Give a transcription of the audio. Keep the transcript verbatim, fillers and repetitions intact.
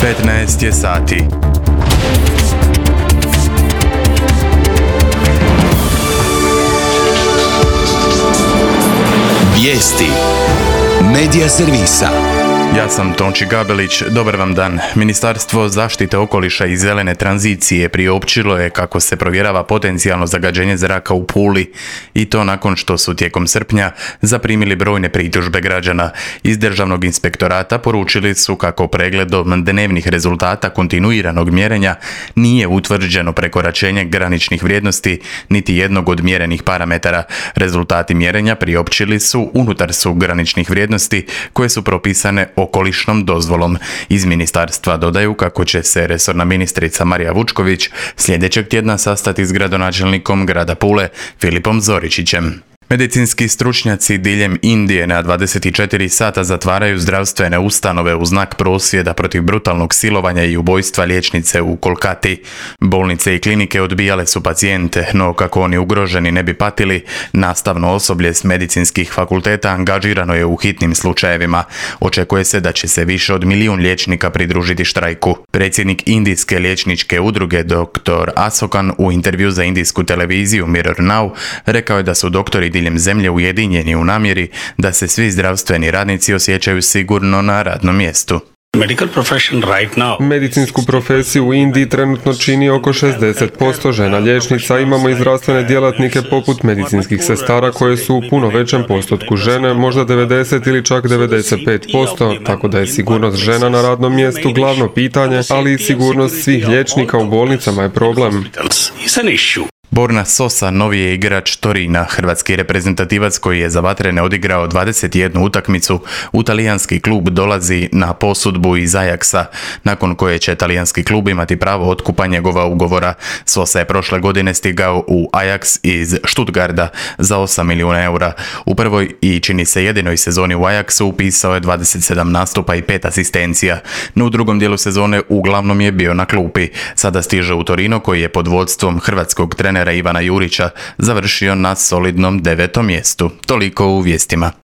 petnaest je sati. Vijesti Medija servisa. Ja sam Tonči Gabelić, dobar vam dan. Ministarstvo zaštite okoliša i zelene tranzicije priopćilo je kako se provjerava potencijalno zagađenje zraka u Puli i to nakon što su tijekom srpnja zaprimili brojne pritužbe građana. Iz Državnog inspektorata poručili su kako pregledom dnevnih rezultata kontinuiranog mjerenja nije utvrđeno prekoračenje graničnih vrijednosti niti jednog od mjerenih parametara. Rezultati mjerenja priopćili su unutar su graničnih vrijednosti koje su propisane okolišnom dozvolom. Iz ministarstva dodaju kako će se resorna ministrica Marija Vučković sljedećeg tjedna sastati s gradonačelnikom grada Pule Filipom Zoričićem. Medicinski stručnjaci diljem Indije na dvadeset četiri sata zatvaraju zdravstvene ustanove u znak prosvjeda protiv brutalnog silovanja i ubojstva liječnice u Kolkati. Bolnice i klinike odbijale su pacijente, no kako oni ugroženi ne bi patili, nastavno osoblje s medicinskih fakulteta angažirano je u hitnim slučajevima. Očekuje se da će se više od milijun liječnika pridružiti štrajku. Predsjednik Indijske liječničke udruge doktor Asokan u intervju za indijsku televiziju Mirror Now rekao je da su doktori diljem zemlje ujedinjeni u namjeri da se svi zdravstveni radnici osjećaju sigurno na radnom mjestu. Medicinsku profesiju u Indiji trenutno čini oko šezdeset posto žena liječnica. Imamo i zdravstvene djelatnike poput medicinskih sestara koje su u puno većem postotku žene, možda devedeset ili čak devedeset pet posto, tako da je sigurnost žena na radnom mjestu glavno pitanje, ali i sigurnost svih liječnika u bolnicama je problem. Borna Sosa novi je igrač Torina, hrvatski reprezentativac koji je za Vatrene odigrao dvadeset jednu utakmicu. U talijanski klub dolazi na posudbu iz Ajaxa, nakon koje će talijanski klub imati pravo otkupa njegova ugovora. Sosa je prošle godine stigao u Ajax iz Stuttgarta za osam milijuna eura. U prvoj i čini se jedinoj sezoni u Ajaxu upisao je dvadeset sedam nastupa i pet asistencija, no u drugom dijelu sezone uglavnom je bio na klupi. Sada stiže u Torino koji je pod vodstvom hrvatskog trenera Ivana Jurića završio na solidnom devetom mjestu. Toliko u vijestima.